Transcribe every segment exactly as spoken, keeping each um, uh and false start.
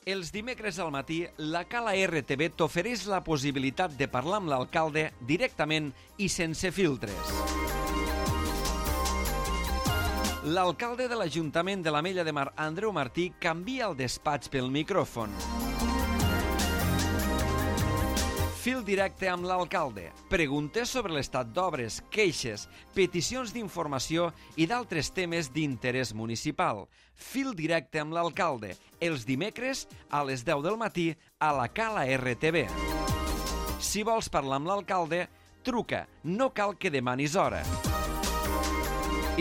Els dimecres al matí, la Cala R T V t'ofereix la possibilitat de parlar amb l'alcalde directament i sense filtres. L'alcalde de l'Ajuntament de l'Ametlla de Mar, Andreu Martí, canvia el despatx pel micròfon. Fil directe amb l'alcalde. Preguntes sobre l'estat d'obres, queixes, peticions d'informació i d'altres temes d'interès municipal. Fil directe amb l'alcalde. Els dimecres a les deu del matí a la Cala R T V. Si vols parlar amb l'alcalde, truca. No cal que demanis hora.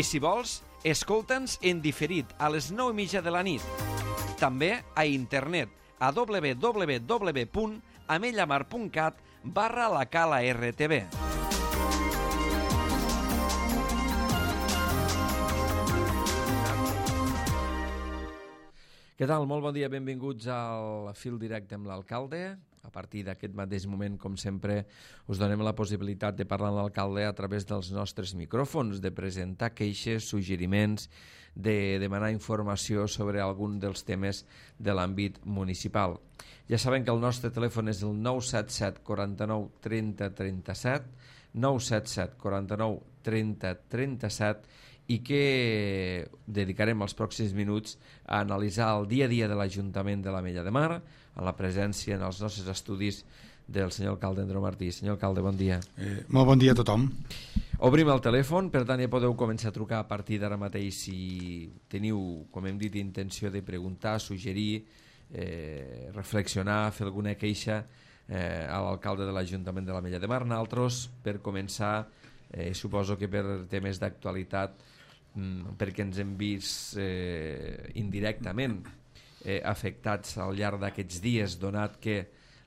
I si vols, escolta'ns en diferit a les nou i mitja de la nit. També a internet a w w w punt amellamar punt cat barra la Cala R T V. Què tal? Molt bon dia, benvinguts al Fil Directe amb l'alcalde. A partir d'aquest mateix moment, com sempre, us donem la possibilitat de parlar amb l'alcalde a través dels nostres micròfons, de presentar queixes, suggeriments, de demanar informació sobre algun dels temes de l'àmbit municipal. Ja saben que el nostre telèfon és el nou set set quaranta-nou trenta trenta-set, nou set set quaranta-nou trenta trenta-set, i que dedicarem els pròxims minuts a analitzar el dia a dia de l'Ajuntament de l'Ametlla de Mar, a la presència en els nostres estudis del senyor alcalde Andreu Martí. Senyor alcalde, bon dia. Eh, molt bon dia a tothom. Obrim el telèfon, per tant ja podeu començar a trucar a partir d'ara mateix si teniu, com hem dit, intenció de preguntar, suggerir, eh, reflexionar, fer alguna queixa eh, a l'alcalde de l'Ajuntament de l'Ametlla de Mar. Nosaltres, per començar, eh, suposo que per temes d'actualitat, perquè ens hem vist eh, indirectament eh, afectats al llarg d'aquests dies, donat que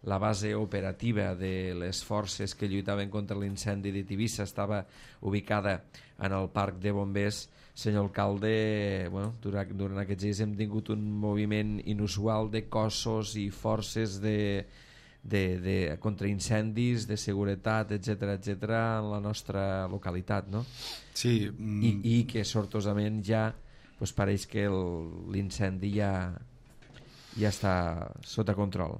la base operativa de les forces que lluitaven contra l'incendi de Tivissa estava ubicada en el parc de bombers. Senyor alcalde, bueno, durant, durant aquests dies hem tingut un moviment inusual de cossos i forces de, de, de contra incendis, de seguretat, etcètera, etcètera, en la nostra localitat, no? Sí. I, i que sortosament ja pues, pareix que l'incendi ja, ja està sota control.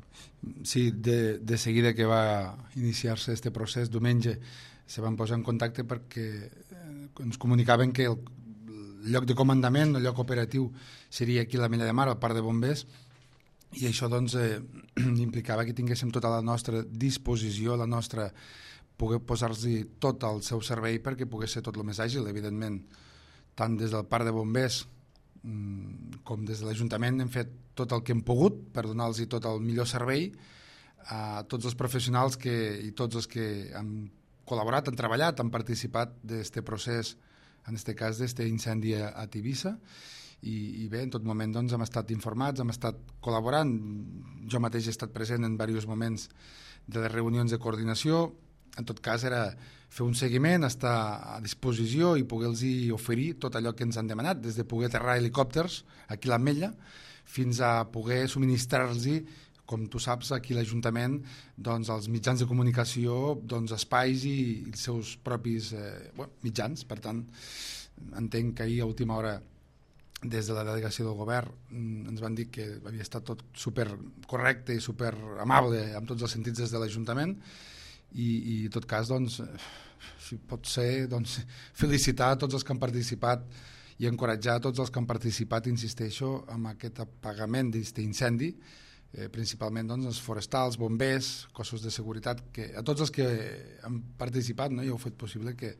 Sí, de, de seguida que va iniciar-se este procés, diumenge se van posar en contacte perquè ens comunicaven que el, el lloc de comandament, el lloc operatiu seria aquí a l'Ametlla de Mar, al parc de bombers, i això doncs eh, implicava que tinguéssim tota la nostra disposició, la nostra poder posar-li tot al seu servei perquè pogués ser tot el més àgil, evidentment. Tant des del parc de bombers com des de l'Ajuntament hem fet tot el que hem pogut per donar-los tot el millor servei a tots els professionals que, i tots els que han col·laborat, han treballat, han participat d'aquest procés, en aquest cas d'aquest incendi a, a Tivissa. I, i bé, en tot moment doncs, hem estat informats, hem estat col·laborant. Jo mateix he estat present en diversos moments de les reunions de coordinació. En tot cas era fer un seguiment, estar a disposició i poder-los oferir tot allò que ens han demanat, des de poder aterrar helicòpters aquí a l'Ametlla fins a poder subministrar-los, com tu saps, aquí a l'Ajuntament, doncs, els mitjans de comunicació, doncs, espais i, i els seus propis eh, bueno, mitjans. Per tant, entenc que ahir a última hora des de la delegació del govern ens van dir que havia estat tot super correcte i super amable en tots els sentits des de l'Ajuntament. I, i en tot cas, doncs, si pot ser, doncs, felicitar a tots els que han participat i encoratjar a tots els que han participat, insisteixo, en aquest apagament d'aquest incendi, eh, principalment doncs, els forestals, bombers, cossos de seguretat, que a tots els que han participat, no, i heu fet possible que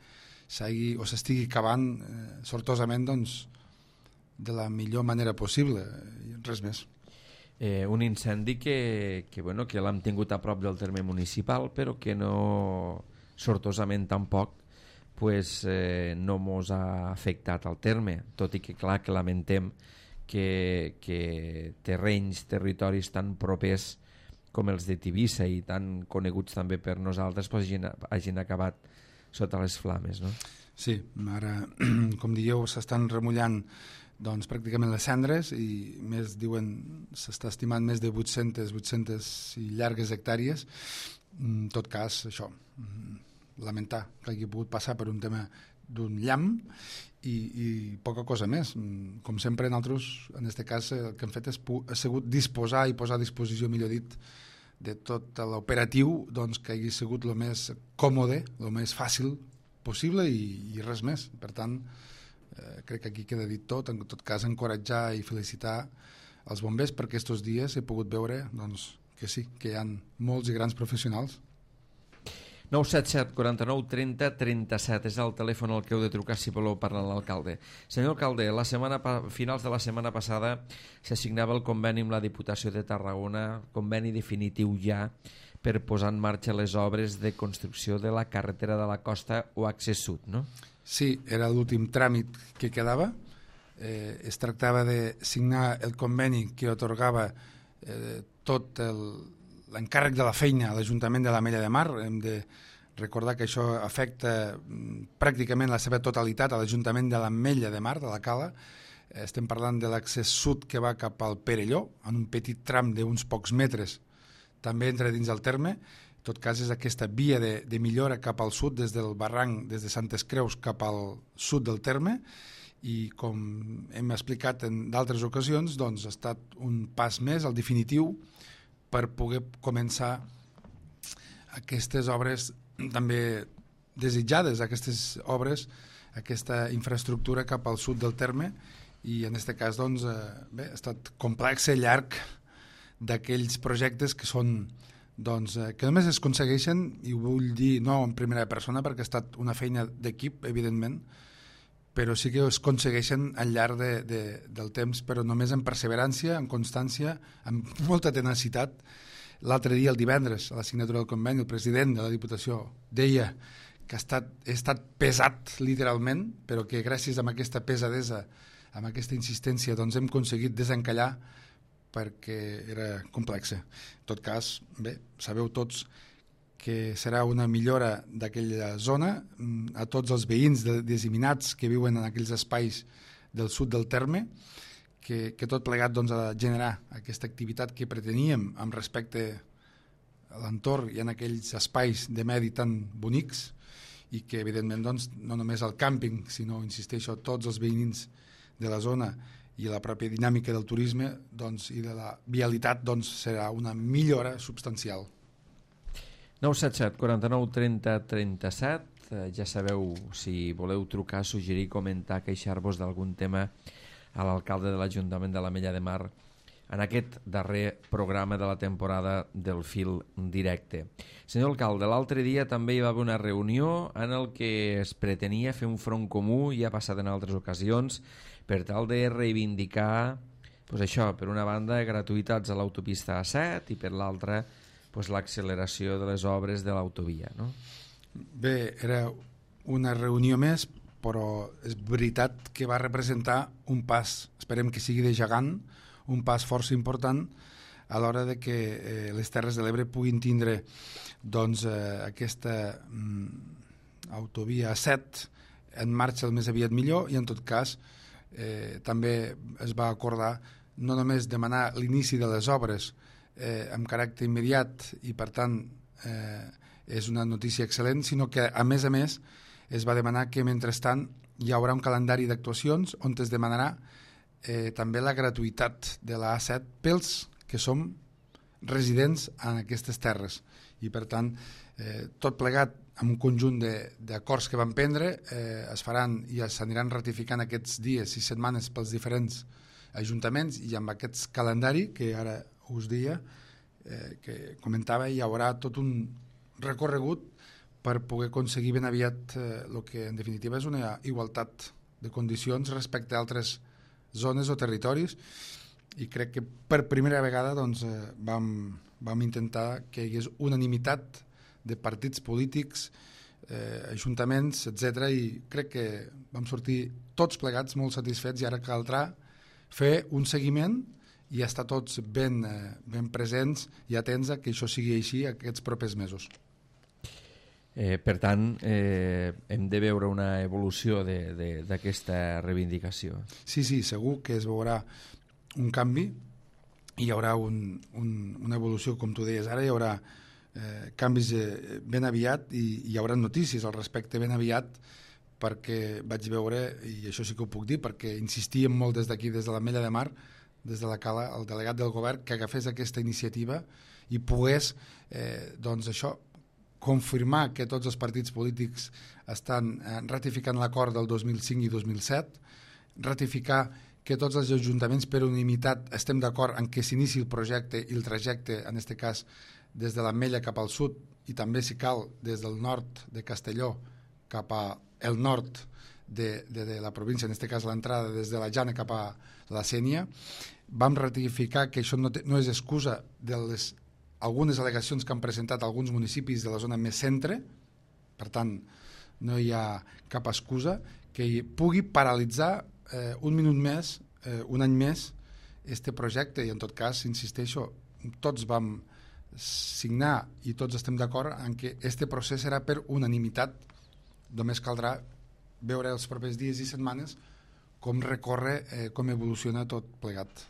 s'hagi o s'estigui acabant eh, sortosament doncs, de la millor manera possible, i res més. Eh, un incendi que, que, bueno, que l'hem tingut a prop del terme municipal, però que no, sortosament tampoc, pues, eh, no mos ha afectat al terme, tot i que clar que lamentem que, que terrenys, territoris tan propers com els de Tivissa i tan coneguts també per nosaltres pues, hagin, hagin acabat sota les flames, no? Sí, ara, com dieu, s'estan remullant doncs, pràcticament les cendres i més, diuen, s'està estimant més de vuit-centes, vuit-centes i llargues hectàrees. En tot cas, això, lamentar que hagi pogut passar per un tema d'un llamp i, i poca cosa més. Com sempre, nosaltres, en aquest cas, el que hem fet és ha sigut disposar i posar a disposició, millor dit, de tot l'operatiu, doncs, que hagi sigut el més còmode, el més fàcil possible i, i res més. Per tant, eh, crec que aquí queda dit tot. En tot cas, encoratjar i felicitar els bombers perquè aquests dies he pogut veure doncs, que sí, que hi ha molts i grans professionals. nou set set, quaranta-nou, trenta, trenta-set és el telèfon al que heu de trucar si voleu parlar amb l'alcalde. Senyor alcalde, la setmana finals de la setmana passada s'assignava el conveni amb la Diputació de Tarragona, conveni definitiu ja per posar en marxa les obres de construcció de la carretera de la costa o accés sud, no? Sí, era l'últim tràmit que quedava. Eh, es tractava de signar el conveni que atorgava eh, tot l'encàrrec de la feina a l'Ajuntament de l'Ametlla de Mar. Hem de recordar que això afecta pràcticament la seva totalitat a l'Ajuntament de l'Ametlla de Mar, de la Cala. Estem parlant de l'accés sud que va cap al Perelló, en un petit tram d'uns pocs metres, també entra dins del terme. En tot cas, és aquesta via de, de millora cap al sud, des del barranc, des de Santes Creus cap al sud del terme, i com hem explicat en d'altres ocasions, doncs ha estat un pas més, el definitiu, per poder començar aquestes obres també desitjades, aquestes obres, aquesta infraestructura cap al sud del terme, i en aquest cas doncs, eh, bé, ha estat complex i llarg d'aquells projectes que són doncs, eh, que només es aconsegueixen, i ho vull dir no en primera persona perquè ha estat una feina d'equip, evidentment, però sí que es aconsegueixen al llarg de, de, del temps, però només amb perseverància, amb constància, amb molta tenacitat. L'altre dia, el divendres, a la signatura del conveni, el president de la Diputació deia que ha estat, ha estat pesat literalment, però que gràcies a aquesta pesadesa, amb aquesta insistència, doncs hem aconseguit desencallar perquè era complexa. En tot cas, bé, sabeu tots que serà una millora d'aquella zona a tots els veïns disseminats que viuen en aquells espais del sud del terme, que, que tot plegat doncs, ha de generar aquesta activitat que preteníem amb respecte a l'entorn i en aquells espais de medi tan bonics, i que evidentment doncs, no només el càmping, sinó, insisteixo, tots els veïns de la zona i la pròpia dinàmica del turisme doncs, i de la vialitat doncs, serà una millora substancial. nou set set, quaranta-nou, trenta, trenta-set. Eh, ja sabeu, si voleu trucar, suggerir, comentar, queixar-vos d'algun tema a l'alcalde de l'Ajuntament de l'Ametlla de Mar en aquest darrer programa de la temporada del Fil Directe. Senyor alcalde, l'altre dia també hi va haver una reunió en el que es pretenia fer un front comú, ja ha passat en altres ocasions, per tal de reivindicar pues això, per una banda, gratuïtats a l'autopista A set i per l'altra pues, l'acceleració de les obres de l'autovia, no? Bé, era una reunió més, però és veritat que va representar un pas, esperem que sigui de gegant, un pas força important a l'hora de que eh, les Terres de l'Ebre puguin tindre doncs, eh, aquesta mm, autovia A set en marxa el més aviat millor, i en tot cas eh, també es va acordar no només demanar l'inici de les obres eh, amb caràcter immediat, i per tant eh, és una notícia excel·lent, sinó que a més a més es va demanar que mentrestant hi haurà un calendari d'actuacions on es demanarà eh, també la gratuïtat de la A set pels que som residents en aquestes terres, i per tant eh, tot plegat amb un conjunt d'acords que van prendre eh, es faran i s'aniran ratificant aquests dies i setmanes pels diferents ajuntaments, i amb aquest calendari que ara us dia, eh, que comentava, hi haurà tot un recorregut per poder aconseguir ben aviat eh, el que en definitiva és una igualtat de condicions respecte a altres zones o territoris, i crec que per primera vegada doncs, eh, vam, vam intentar que hi hagués unanimitat de partits polítics, eh, ajuntaments, etcètera, i crec que vam sortir tots plegats molt satisfets, i ara caldrà fer un seguiment i estar tots ben, eh, ben presents i atents a que això sigui així aquests propers mesos. Eh, per tant, eh, hem de veure una evolució d'aquesta reivindicació. Sí, sí, segur que es veurà un canvi, hi haurà un, un, una evolució, com tu deies ara, hi haurà eh, canvis eh, ben aviat, i hi haurà notícies al respecte ben aviat, perquè vaig veure, i això sí que ho puc dir, perquè insistíem molt des d'aquí, des de l'Ametlla de Mar, des de la Cala, el delegat del govern, que agafés aquesta iniciativa i pogués, eh, doncs això, confirmar que tots els partits polítics estan eh, ratificant l'acord del dos mil cinc i dos mil set, ratificar que tots els ajuntaments per unanimitat estem d'acord en que s'inici el projecte i el trajecte, en aquest cas, des de l'Ametlla cap al sud i també, si cal, des del nord de Castelló cap al nord de, de, de la província, en aquest cas l'entrada des de la Jana cap a la Sénia. Vam ratificar que això no, té, no és excusa de les, algunes al·legacions que han presentat alguns municipis de la zona més centre, per tant, no hi ha cap excusa que pugui paralitzar eh, un minut més, eh, un any més, este projecte, i en tot cas, insisteixo, tots vam signar i tots estem d'acord en que este procés serà per unanimitat. Només caldrà veure els propers dies i setmanes com recorre, eh, com evoluciona tot plegat.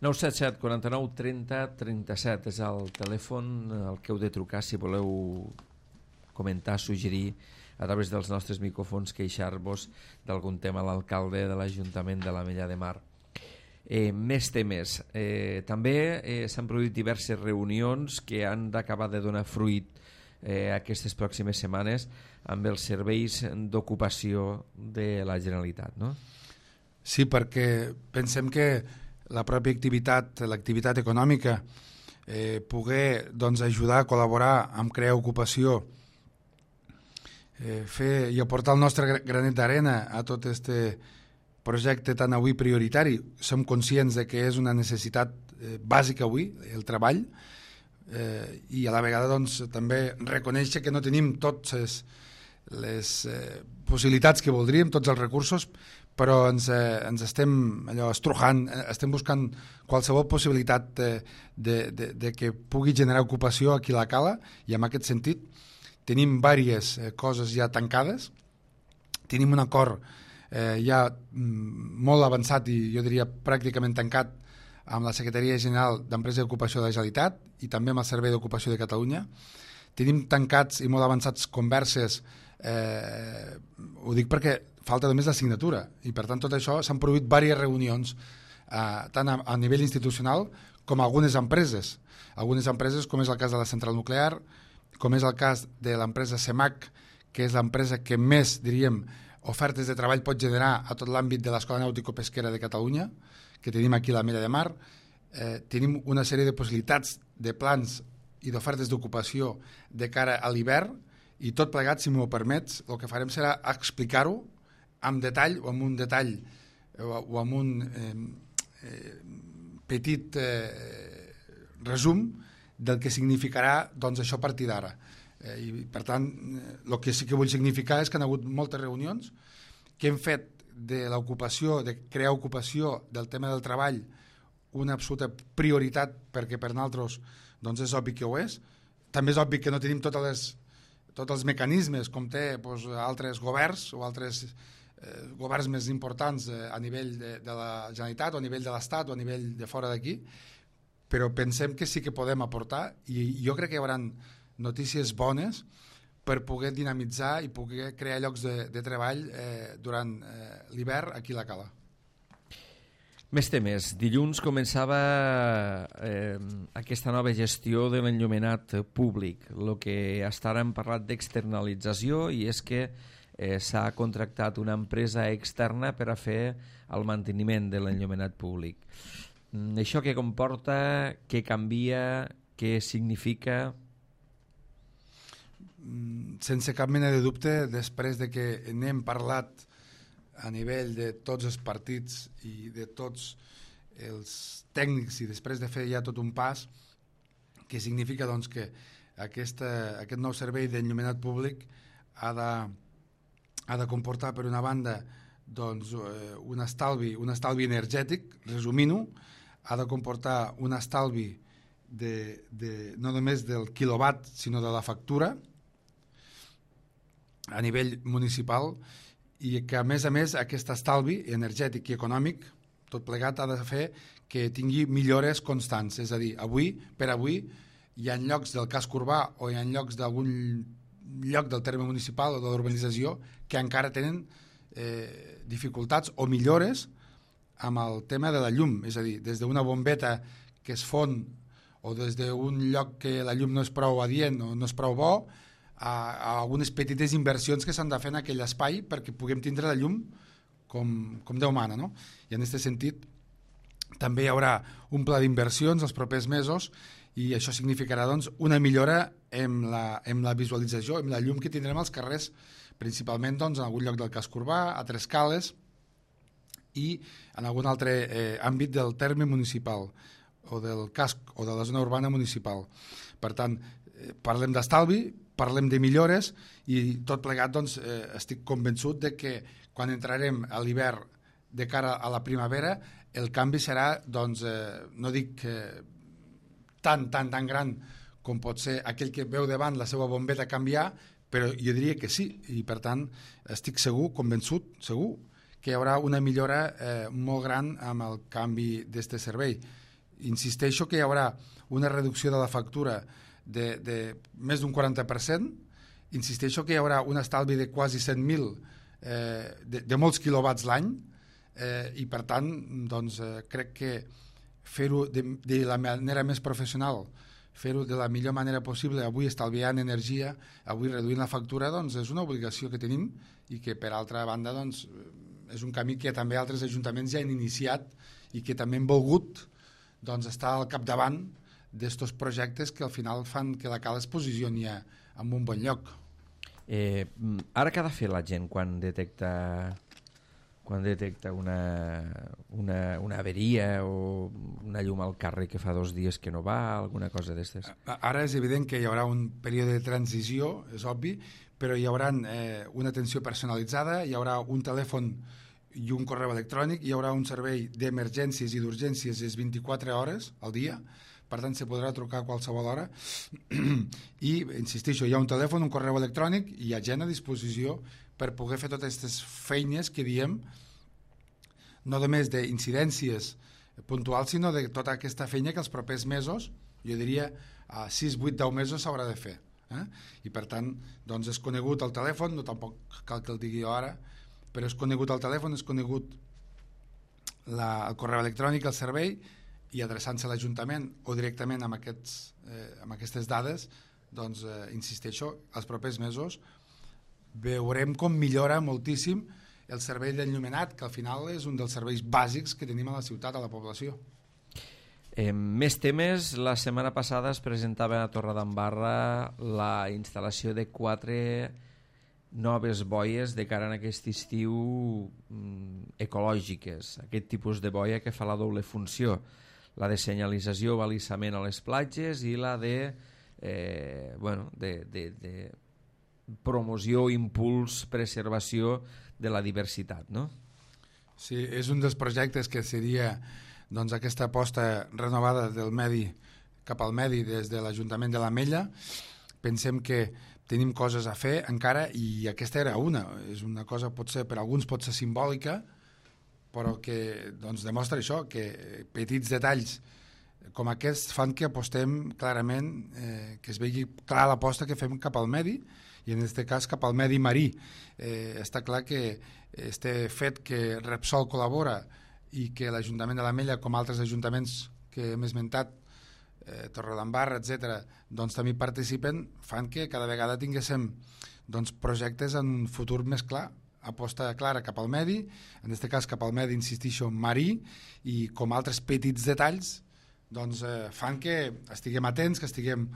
nou set set quaranta-nou trenta trenta-set és el telèfon al que heu de trucar si voleu comentar, suggerir a través dels nostres micròfons, queixar-vos d'algun tema a l'alcalde de l'Ajuntament de l'Ametlla de Mar. Eh, més temes. Eh, també eh, s'han produït diverses reunions que han d'acabar de donar fruit eh, aquestes pròximes setmanes amb els serveis d'ocupació de la Generalitat, no? Sí, perquè pensem que la pròpia activitat, l'activitat econòmica, eh, poder doncs, ajudar a col·laborar amb crear ocupació, eh, fer i aportar el nostre granet d'arena a tot este projecte tan avui prioritari. Som conscients de que és una necessitat eh, bàsica avui, el treball, eh, i a la vegada doncs, també reconèixer que no tenim totes les eh, possibilitats que voldríem, tots els recursos, però ens, eh, ens estem allò estrujant, eh, estem buscant qualsevol possibilitat de, de, de, de que pugui generar ocupació aquí a la Cala, i en aquest sentit tenim diverses eh, coses ja tancades, tenim un acord eh, ja mm, molt avançat i jo diria pràcticament tancat amb la Secretaria General d'Empresa i Ocupació de la Generalitat i també amb el Servei d'Ocupació de Catalunya. Tenim tancats i molt avançats converses, eh, ho dic perquè falta només la signatura, i per tant tot això s'han produït diverses reunions eh, tant a, a nivell institucional com a algunes empreses. Algunes empreses, com és el cas de la central nuclear, com és el cas de l'empresa CEMAC, que és l'empresa que més, diríem, ofertes de treball pot generar a tot l'àmbit de l'Escola Nàutico-Pesquera de Catalunya, que tenim aquí a l'Ametlla de Mar. Eh, tenim una sèrie de possibilitats de plans i d'ofertes d'ocupació de cara a l'hivern, i tot plegat, si m'ho permets, el que farem serà explicar-ho amb detall o amb un detall o, o amb un eh, eh, petit eh, resum del que significarà doncs, això a partir d'ara. Eh, I per tant, el que sí que vull significar és que han hagut moltes reunions que hem fet de l'ocupació, de crear ocupació del tema del treball una absoluta prioritat, perquè per nosaltres doncs, és obvi que ho és. També és obvi que no tenim totes les, tots els mecanismes com té doncs, altres governs o altres eh, governs més importants eh, a nivell de, de la Generalitat o a nivell de l'Estat o a nivell de fora d'aquí, però pensem que sí que podem aportar, i jo crec que hi haurà notícies bones per poder dinamitzar i poder crear llocs de, de treball eh, durant eh, l'hivern aquí a la Cala. Més temes. Dilluns començava eh, aquesta nova gestió de l'enllumenat públic. El que hasta ara hem parlat d'externalització, i és que eh, s'ha contractat una empresa externa per a fer el manteniment de l'enllumenat públic. Això què comporta, què canvia, què significa? Sense cap mena de dubte, després de que n'hem parlat a nivell de tots els partits i de tots els tècnics, i després de fer ja tot un pas, que significa doncs, que aquesta, aquest nou servei d'enllumenat públic ha de, ha de comportar, per una banda, doncs, un estalvi, un estalvi energètic, resumint-ho, ha de comportar un estalvi de, de, no només del quilowatt, sinó de la factura a nivell municipal, i que a més a més aquest estalvi energètic i econòmic tot plegat ha de fer que tingui millores constants. És a dir, avui per avui hi ha llocs del casc urbà o hi ha llocs d'algun lloc del terme municipal o de l'urbanització que encara tenen eh, dificultats o millores amb el tema de la llum, és a dir, des d'una bombeta que es fon o des d'un lloc que la llum no és prou adient o no és prou bo, a, a algunes petites inversions que s'han de fer en aquell espai perquè puguem tindre la llum com, com Déu mana, no? I en aquest sentit també hi haurà un pla d'inversions els propers mesos i això significarà doncs, una millora en la, en la visualització, en la llum que tindrem als carrers, principalment doncs, en algun lloc del casc urbà, a Tres Cales i en algun altre eh, àmbit del terme municipal o del casc o de la zona urbana municipal. Per tant, eh, parlem d'estalvi, parlem de millores i tot plegat doncs, eh, estic convençut de que quan entrarem a l'hivern de cara a la primavera el canvi serà, doncs, eh, no dic eh, tan, tan, tan gran com pot ser aquell que veu davant la seva bombeta canviar, però jo diria que sí, i per tant estic segur, convençut, segur, que hi haurà una millora eh, molt gran amb el canvi d'aquest servei. Insisteixo que hi haurà una reducció de la factura de, de més d'un quaranta per cent, insisteixo que hi haurà un estalvi de quasi cent mil, eh, de, de molts quilowatts l'any, eh, i per tant doncs, eh, crec que fer-ho de, de la manera més professional, fer-ho de la millor manera possible, avui estalviant energia, avui reduint la factura, doncs és una obligació que tenim i que per altra banda doncs, és un camí que també altres ajuntaments ja han iniciat i que també han volgut doncs, estar al capdavant d'estos projectes que al final fan que la cala es posicioni en un bon lloc. Eh, ara què ha de fer la gent quan detecta quan detecta una, una, una averia o una llum al carrer que fa dos dies que no va, alguna cosa d'aquestes? Ara és evident que hi haurà un període de transició, és obvi, però hi haurà eh, una atenció personalitzada, hi haurà un telèfon i un correu electrònic, hi haurà un servei d'emergències i d'urgències és vint-i-quatre hores al dia, per tant se podrà trucar a qualsevol hora i, insisteixo, hi ha un telèfon, un correu electrònic i hi ha gent a disposició per poder fer totes aquestes feines que diem, no només d'incidències puntuals, sinó de tota aquesta feina que els propers mesos, jo diria a sis, vuit, deu mesos s'haurà de fer. Eh? I per tant, doncs és conegut el telèfon, no tampoc cal que el digui jo ara, però és conegut el telèfon, és conegut la, el correu electrònic, el servei, i adreçant-se a l'Ajuntament o directament amb, aquests, eh, amb aquestes dades, doncs, eh, insisteixo, els propers mesos veurem com millora moltíssim el servei d'enllumenat, que al final és un dels serveis bàsics que tenim a la ciutat, a la població. Eh, més temes. La setmana passada es presentava a Torredembarra la instal·lació de quatre noves boies de cara a aquest estiu mm, ecològiques, aquest tipus de boia que fa la doble funció, la de senyalització o balisament a les platges i la de, eh, bueno, de, de, de promoció, impuls, preservació de la diversitat, no? Sí, és un dels projectes que seria doncs, aquesta aposta renovada del medi cap al medi des de l'Ajuntament de l'Ametlla. Pensem que tenim coses a fer encara i aquesta era una. És una cosa, potser per alguns pot ser simbòlica, però que doncs, demostra això, que petits detalls com aquests fan que apostem clarament, eh, que es vegi clar l'aposta que fem cap al medi i en aquest cas cap al medi marí. Eh, està clar que este fet que Repsol col·labora i que l'Ajuntament de l'Ametlla, com altres ajuntaments que hem esmentat, eh, Torredembarra, etcètera, doncs també participen, fan que cada vegada tinguéssim doncs, projectes en un futur més clar, aposta clara cap al medi, en aquest cas cap al medi, insistixo, marí, i com altres petits detalls doncs, eh, fan que estiguem atents, que estiguem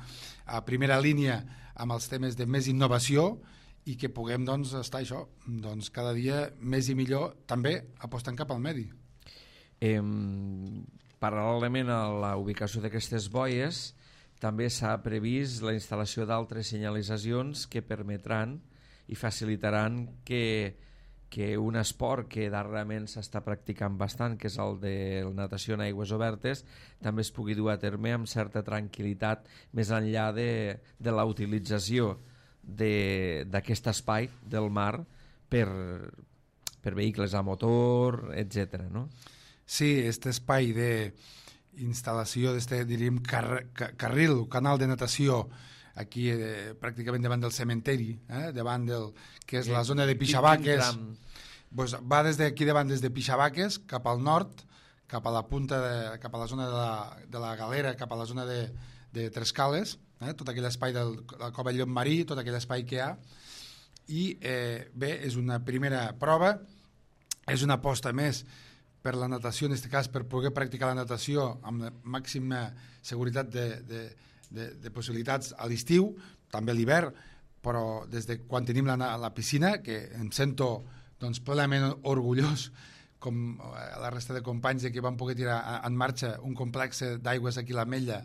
a primera línia amb els temes de més innovació i que puguem doncs, estar això, doncs, cada dia més i millor, també apostant cap al medi. Eh, paral·lelament a la ubicació d'aquestes boies, també s'ha previst la instal·lació d'altres senyalitzacions que permetran i facilitaran que, que un esport que darrerament s'està practicant bastant, que és el de la natació en aigües obertes, també es pugui dur a terme amb certa tranquil·litat més enllà de, de la utilització d'aquest espai del mar per, per vehicles a motor, etcètera, no? Sí, aquest espai d'instal·lació, d'este, diríem, car car carril, canal de natació aquí eh, pràcticament davant del cementeri, eh, davant del que és la zona de Pixabaques. Pues va des d'aquí davant, des de Pixabaques cap al nord, cap a la punta de, cap a la zona de la, de la Galera, cap a la zona de, de Trescales, eh, tot aquell espai del la Cova Llopmarí, tot aquell espai que hi ha. I eh, bé, és una primera prova, és una aposta més per la natació, en aquest cas per poder practicar la natació amb la màxima seguretat de, de, de, de possibilitats a l'estiu, també a l'hivern, però des de quan tenim la, la piscina, que em sento doncs, plenament orgullós, com la resta de companys, de que vam poder tirar en marxa un complex d'aigües aquí a l'Ametlla,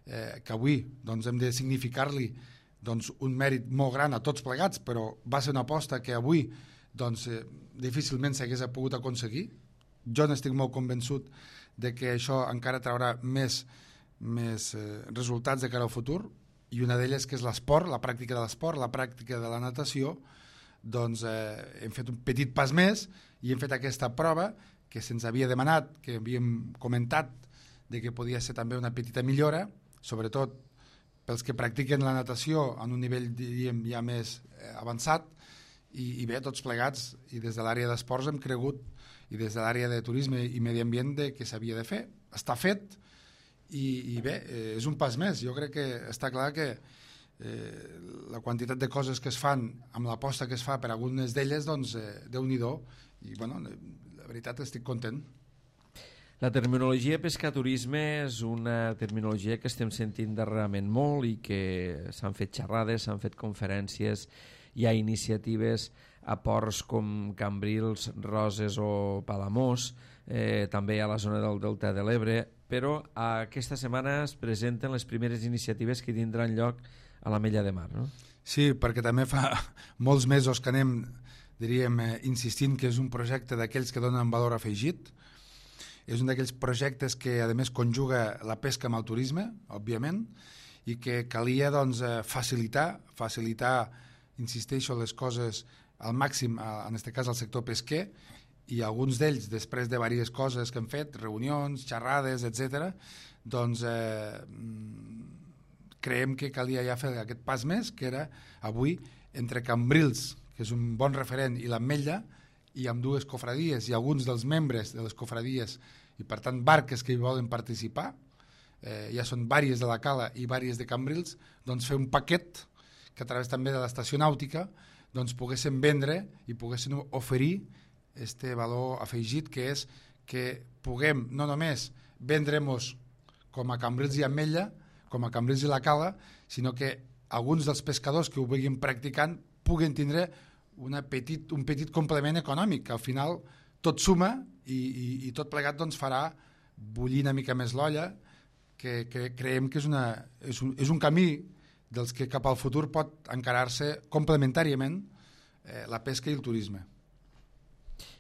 eh, que avui doncs, hem de significar-li doncs, un mèrit molt gran a tots plegats, però va ser una aposta que avui doncs, eh, difícilment s'hagués pogut aconseguir. Jo n'estic molt convençut de que això encara traurà més, més eh, resultats de cara al futur, i una d'elles que és l'esport, la pràctica de l'esport, la pràctica de la natació. Doncs eh, hem fet un petit pas més i hem fet aquesta prova que se'ns havia demanat, que havíem comentat de que podia ser també una petita millora, sobretot pels que practiquen la natació en un nivell, diríem, ja més eh, avançat, i, i bé, tots plegats, i des de l'àrea d'esports hem cregut, i des de l'àrea de turisme i medi ambient, de que s'havia de fer. Està fet, i, i bé, eh, és un pas més. Jo crec que està clar que eh, la quantitat de coses que es fan amb l'aposta que es fa per algunes d'elles, doncs, eh, Déu-n'hi-do, i bueno, la veritat estic content. La terminologia pescaturisme és una terminologia que estem sentint darrerament molt i que s'han fet xerrades, s'han fet conferències, hi ha iniciatives a ports com Cambrils, Roses o Palamós, eh, també a la zona del Delta de l'Ebre, però aquesta setmana es presenten les primeres iniciatives que tindran lloc a l'Ametlla de Mar, no? Sí, perquè també fa molts mesos que anem, diríem, eh, insistint que és un projecte d'aquells que donen valor afegit. És un d'aquells projectes que, a més, conjuga la pesca amb el turisme, òbviament, i que calia doncs, facilitar, facilitar, insisteixo, les coses al màxim, en aquest cas al sector pesquer, i alguns d'ells, després de diverses coses que hem fet, reunions, xerrades, etcètera, doncs eh, creiem que calia ja fer aquest pas més, que era avui entre Cambrils, que és un bon referent, i l'Ametlla, i amb dues cofradies i alguns dels membres de les cofradies i per tant barques que hi volen participar, eh, ja són vàries de la Cala i vàries de Cambrils, doncs fer un paquet que a través també de l'estació nàutica doncs poguessin vendre i poguessin oferir este valor afegit, que és que puguem no només vendre-nos com a Cambrils i Ametlla, com a Cambrils i la Cala, sinó que alguns dels pescadors que ho vegin practicant puguen tindre una petit, un petit complement econòmic, que al final tot suma i, i, i tot plegat doncs, farà bullir una mica més l'olla, que, que creiem que és, una, és, un, és un camí dels que cap al futur pot encarar-se complementàriament eh, la pesca i el turisme.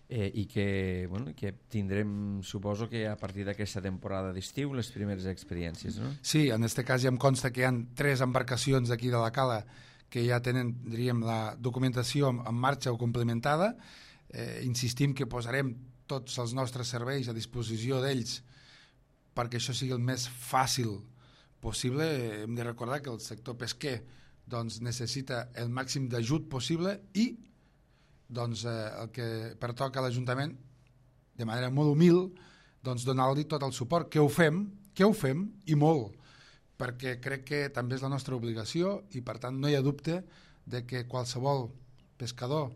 Eh, I que, bueno, que tindrem, suposo que a partir d'aquesta temporada d'estiu, les primeres experiències, no? Sí, en aquest cas ja em consta que hi ha tres embarcacions d'aquí de la Cala que ja tenen, diríem, la documentació en marxa o complementada. Eh, insistim que posarem tots els nostres serveis a disposició d'ells perquè això sigui el més fàcil possible. Eh, hem de recordar que el sector pesquer doncs, necessita el màxim d'ajut possible i doncs, eh, el que pertoca a l'Ajuntament, de manera molt humil, doncs, donar-li tot el suport. Que ho fem, que ho fem i molt, perquè crec que també és la nostra obligació i per tant no hi ha dubte de que qualsevol pescador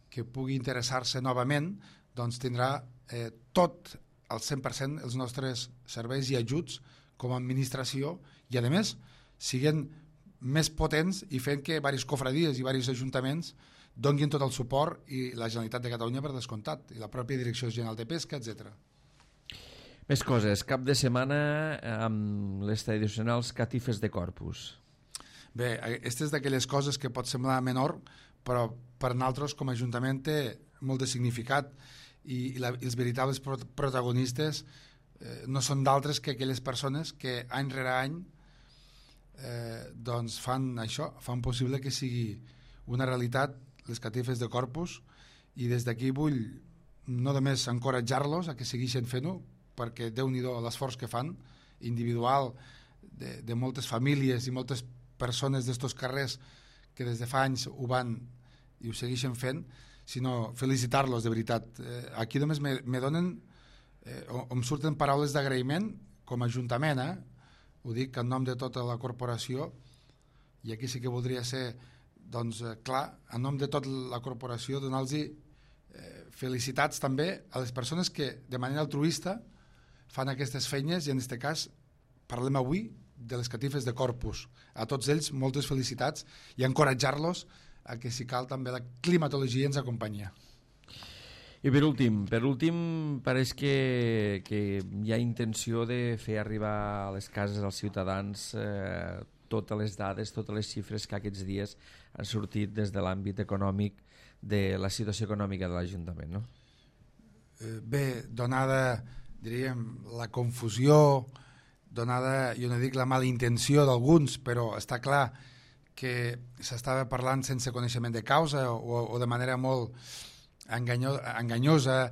que pugui interessar-se novament doncs tindrà eh, tot al cent per cent els nostres serveis i ajuts com a administració i a més siguin més potents i fent que diverses cofradies i diversos ajuntaments donguin tot el suport i la Generalitat de Catalunya per descomptat i la pròpia Direcció General de Pesca, etcètera. Més coses. Cap de setmana amb les tradicionals catifes de Corpus. Bé, aquesta és d'aquelles coses que pot semblar menor, però per nosaltres com a Ajuntament té molt de significat i, i, la, i els veritables protagonistes eh, no són d'altres que aquelles persones que any rere any eh, doncs fan això, fan possible que sigui una realitat les catifes de Corpus, i des d'aquí vull no només encoratjar-los a que segueixin fent-ho, perquè Déu-n'hi-do l'esforç que fan individual de, de moltes famílies i moltes persones d'estos carrers que des de fa anys ho van i ho segueixen fent, sinó felicitar-los de veritat. Eh, aquí només me, me donen, eh, o, em surten paraules d'agraïment com a Ajuntament, eh? Ho dic en nom de tota la corporació, i aquí sí que voldria ser, doncs, eh, clar, en nom de tota la corporació, donar-los eh, felicitats també a les persones que de manera altruista fan aquestes feines, i en aquest cas parlem avui de les catifes de Corpus. A tots ells moltes felicitats i encoratjar-los a que si cal també la climatologia ens acompanya. I per últim, per últim pareix que, que hi ha intenció de fer arribar a les cases als ciutadans eh, totes les dades, totes les xifres que aquests dies han sortit des de l'àmbit econòmic de la situació econòmica de l'Ajuntament, no? Eh, bé, donada, diríem, la confusió, donada, jo no dic la mala intenció d'alguns, però està clar que s'estava parlant sense coneixement de causa o, o de manera molt enganyo, enganyosa.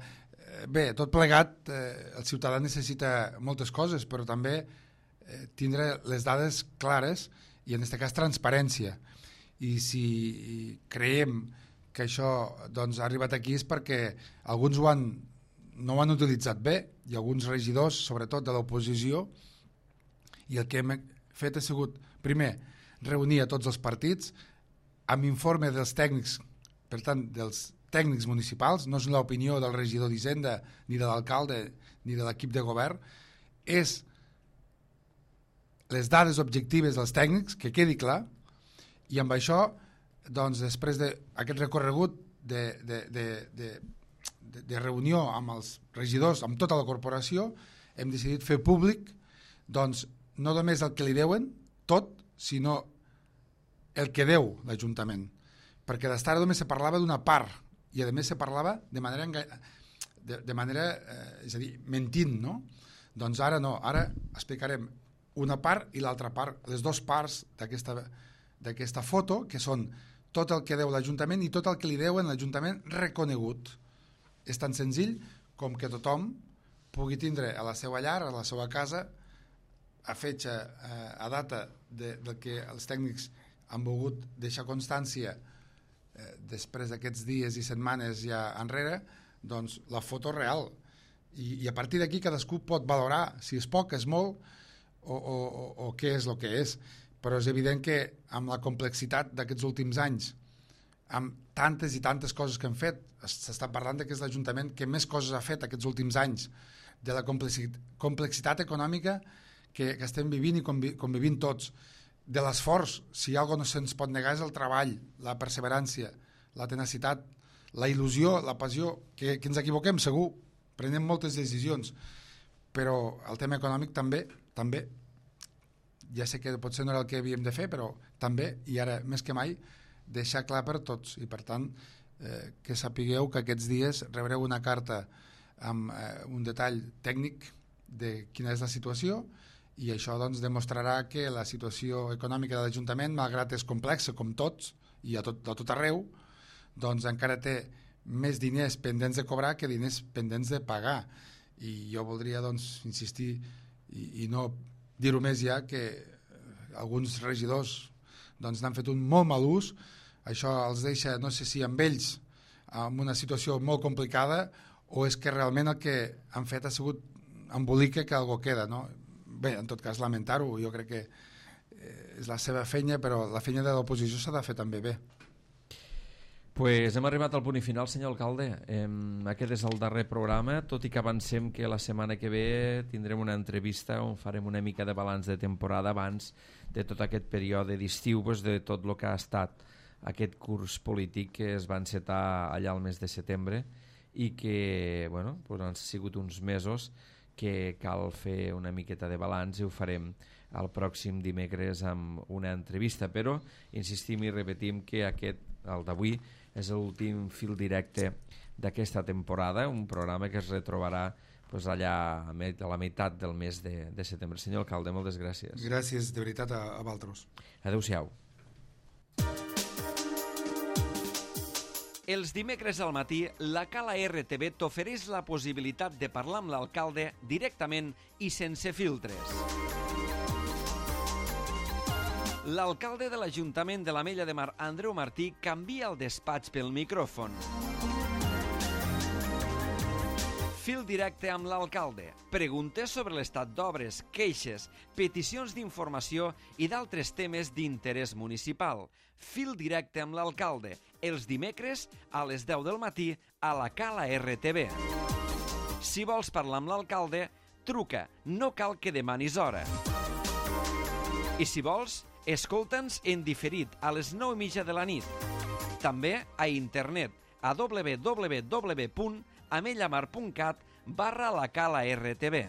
Bé, tot plegat, eh, el ciutadà necessita moltes coses, però també eh, tindre les dades clares i en aquest cas transparència. I si creiem que això doncs, ha arribat aquí és perquè alguns ho han, no ho han utilitzat bé, i alguns regidors, sobretot de l'oposició, i el que hem fet ha sigut, primer, reunir a tots els partits amb informe dels tècnics, per tant, dels tècnics municipals, no és l'opinió del regidor d'Hisenda, ni de l'alcalde, ni de l'equip de govern, és les dades objectives dels tècnics, que quedi clar, i amb això, doncs, després d'aquest recorregut de, de, de, de, de, de reunió amb els regidors, amb tota la corporació, hem decidit fer públic, doncs, no només el que li deuen, tot, sinó el que deu l'Ajuntament. Perquè d'estar només se parlava d'una part, i a més se parlava de manera, de, de manera eh, és a dir, mentint, no? Doncs ara no, ara explicarem una part i l'altra part, les dues parts d'aquesta d'aquesta foto, que són tot el que deu l'Ajuntament i tot el que li deuen l'Ajuntament reconegut. És tan senzill com que tothom pugui tindre a la seva llar, a la seva casa, a fetge, eh, a data de, de que els tècnics han volgut deixar constància eh, després d'aquests dies i setmanes ja enrere, doncs la foto real. I, i a partir d'aquí cadascú pot valorar si és poc, és molt, o, o, o, o què és el que és. Però és evident que amb la complexitat d'aquests últims anys, amb tantes i tantes coses que hem fet, s'està parlant que és l'Ajuntament que més coses ha fet aquests últims anys, de la complexitat, complexitat econòmica que, que estem vivint i convi, convivint tots, de l'esforç, si hi ha alguna cosa no se'ns pot negar és el treball, la perseverància, la tenacitat, la il·lusió, la passió, que, que ens equivoquem segur, prenem moltes decisions, però el tema econòmic també, també, ja sé que potser no era el que havíem de fer, però també, i ara més que mai, deixar clar per tots, i per tant, eh, que sapigueu que aquests dies rebreu una carta amb eh, un detall tècnic de quina és la situació, i això doncs, demostrarà que la situació econòmica de l'Ajuntament, malgrat és complexa com tots, i a tot, a tot arreu, doncs encara té més diners pendents de cobrar que diners pendents de pagar. I jo voldria doncs, insistir i, i no dir-ho més ja, que alguns regidors doncs, n'han fet un molt mal ús. Això els deixa, no sé si amb ells, en una situació molt complicada, o és que realment el que han fet ha sigut embolica que algo queda, no? Bé, en tot cas, lamentar-ho, jo crec que és la seva feina, però la feina de l'oposició s'ha de fer també bé. Pues hem arribat al punt i final, senyor alcalde. Eh, aquest és el darrer programa, tot i que avancem que la setmana que ve tindrem una entrevista on farem una mica de balanç de temporada abans de tot aquest període d'estiu, pues, de tot el que ha estat aquest curs polític que es va encetar allà al mes de setembre i que bueno, pues han sigut uns mesos que cal fer una miqueta de balanç i ho farem el pròxim dimecres amb una entrevista, però insistim i repetim que aquest, el d'avui, és l'últim fil directe d'aquesta temporada, un programa que es retrobarà pues, allà a la meitat del mes de, de setembre. Senyor alcalde, moltes gràcies. Gràcies, de veritat, a, a vosaltres. Adéu-siau. Els dimecres al matí, la Cala R T V t'ofereix la possibilitat de parlar amb l'alcalde directament i sense filtres. L'alcalde de l'Ajuntament de l'Ametlla de Mar, Andreu Martí, canvia el despatx pel micròfon. Fil directe amb l'alcalde. Preguntes sobre l'estat d'obres, queixes, peticions d'informació i d'altres temes d'interès municipal. Fil directe amb l'alcalde. Els dimecres a les deu del matí a la Cala R T V. Si vols parlar amb l'alcalde, truca. No cal que demanis hora. I si vols, escolta'ns en diferit a les nou i mitja de la nit. També a internet a w w w punt amellamar punt cat barra la Cala R T V.